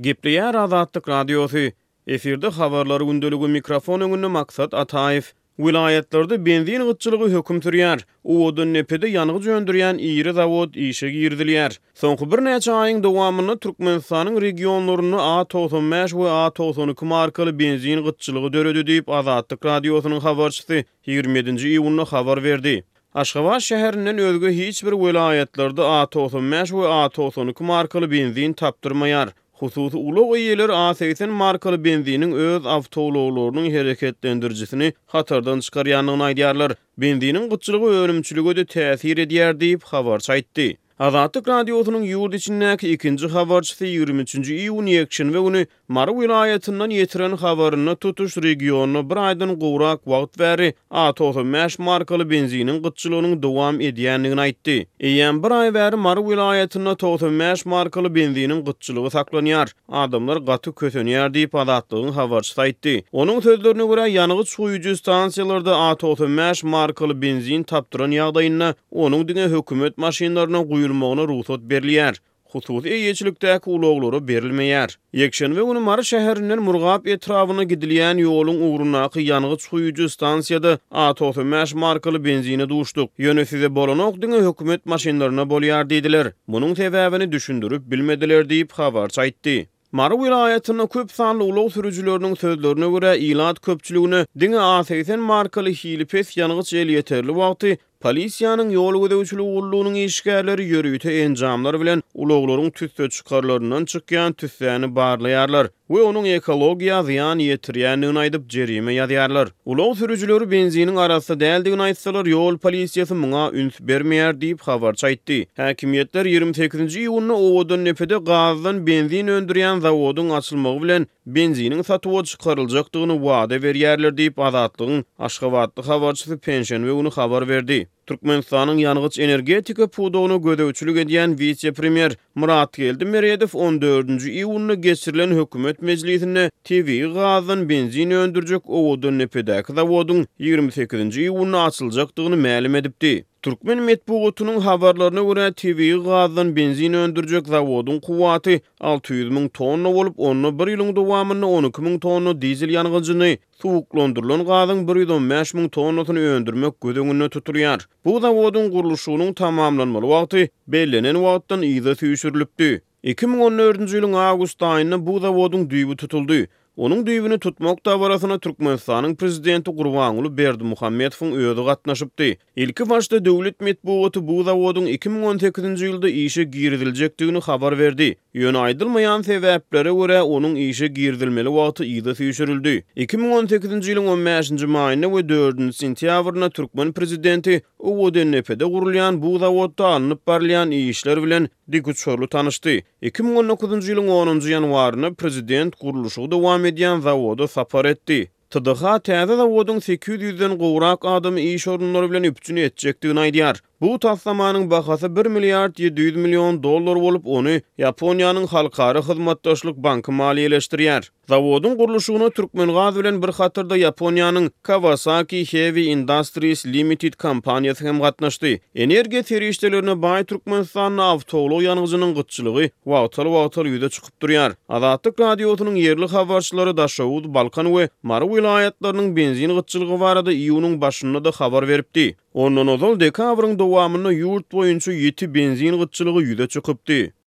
Gepleýär Azatlyk Radiosy. Efirde Habarlar gündeligi, mikrofon öňünde Maksat Ataýew. Welaýatlarda benzin gytçylygy höküm sürýär. Owadandepede ýangyç öndürýän iri zawod işe girizilýär. Soňky birnäçe aýyň dowamynda Türkmenistanyň regionlarynda A 95 we A 92 markaly benzin gytçylygy döredi diýip, Azatlyk Radiosynyň habarçysy 27-nji iýunda habar berdi. Aşgabat şäherinden özge hiç bir welaýatlarda A 95 we A 92 markaly benzin tapdyrmaýar. Hususy ulag eýeleri A 80 markaly benziniň öz awtoulaglarynyň hereketlendirijisini hatardan çykarýandygyny aýdýarlar. Benziniň gytçylygy önümçilige-de täsir edýär diýip, habarçy aýtdy. Azatlyk Radiosynyň ýurt içindäki ikinji habarçysy 23-nji iýun ýekşenbe güni Mary welaýatyndan ýetiren habarynda tutuş regionda bir aýdan gowrak wagt bäri A 95 markaly benziniň gytçylygynyň dowam edýändigini aýtdy. Eýýäm bir aý bäri Mary welaýatynda 95 markaly benziniň gytçylygy saklanýar. Adamlar gaty kösenýär diýip, Azatlygyň habarçysy aýtdy. Onuň sözlerine görä, ýangyç guýujy stansiýalarda A 95 markaly benzin tapdyran ýagdaýynda, onuň diňe hökümet maşynlaryna guýulmagyna rugsat berilýär. Hususy eýeçilikdäki ulaglara berilmeýär. Ýekşenbe güni Mary şäherinden Murgap etrabyna gidilýän ýoluň ugrundaky ýangyç guýujy stansiýada A 95 markaly benzine duşduk. Ýöne size bolanok diňe hökümet maşynlaryna bolýar diýdiler. Munuň sebäbini düşündirip bilmediler diýip, habarçy aýtdy. Mary welaýatynda köp sanly ulag sürüjileriniň sözlerine görä, ilat köpçüligine diňe A 80 markaly hili pes ýangyç elýeterli wagty Polisiýanyň ýol gözegçiligi gullugynyň işgärleri ýörite enjamlar bilen ulaglaryň tüsseçykarlaryndan çykýan tüssäni barlaýarlar we onuň ekologiýa zyýan ýetirýändigini aýdyp, jerime ýazýarlar. Ulag sürüjileri benziniň arassa däldigini aýtsalar, ýol polisiýasy muňa üns bermeýär diýip, habarçy aýtdy. Häkimiýetler 28-nji iýunda Owadandepede gazdan benzin öndürýän zawodyň açylmagy bilen benziniň satuwa çykaryljakdygyny wada berýärler diýip, Azatlygyň aşgabatly habarçysy penşenbe güni habar berdi. Türkmenistanyň ýangyç-energetika pudagyna gözegçilik edýän wise-premýer Myratgeldi Meredow on dördünji iýunda geçirilen hökümet mejlisinde tebigy gazdan benzin öndürjek Owadandepedäki zawodyň 28-nji iýunda açyljakdygyny mälim edipdi. Türkmen metbugatynyň habarlaryna görä, tebigy gazdan benzin öndürjek zawodyň kuwwaty 600 müň tonna bolup, onda bir ýylyň dowamynda 12 müň tonna dizel ýangyjyny, suwuklandyrylan gazyň 115 müň tonnasyny öndürmek göz öňünde tutulýar. Bu zawodyň gurluşygynyň tamamlanmaly wagty bellenen wagtdan yza süýşürilipdi. 2014-nji ýylyň awgust aýynda bu zawodyň düýbi tutuldy. Onuň düýbüni tutmak dabarasyna Türkmenistanyň Prezidenti Gurbanguly Berdimuhamedowyň özi gatnaşypdy. Ilkibaşda döwlet metbugaty bu zawodyň 2018-nji ýylda işe giriziljekdigini habar berdi. Ýöne aýdylmaýan sebäplere görä, onuň işe girizilmeli wagty yza süýşürildi. 2018-nji ýylyň on bäşinji maýynda we dördünji sentýabrynda türkmen prezidenti Owadandepede gurulýan bu zawodda alnyp barylýan işler bilen dikuçarly tanyşdy. 2019-njy ýylyň onunjy ýanwarynda prezident gurluşygy dowam edýän zawoda sapar etdi. TDH täze zawodyň 800 ýüzden gowrak adamy iş orunlary bilen üpjün etjekdigini aýdýar. Bu taslamanyň bahasy bir milliard 700 million dollar bolup, ony Ýaponiýanyň Halkara hyzmatdaşlyk banky maliýeleşdirýär. Zawodyň gurluşygyna Türkmengaz bilen bir hatarda Ýaponiýanyň Kawasaki Heavy Industries Limited kompaniýasy hem gatnaşdy. Energiýa serişdelerine baý Türkmenistanda awtoulag ýangyjynyň gytçylygy wagtal-wagtal ýüze çykyp durýar. Azatlyk Radiosynyň ýerli habarçylary Daşoguz, Balkan we Mary welaýatlarynyň benzin gytçylygy barada iýunyň başynda-da habar beripdi. Ondan ozal dekabryň dowamynda ýurt boýunça ýiti benzin gytçylygy ýüze çykypdy.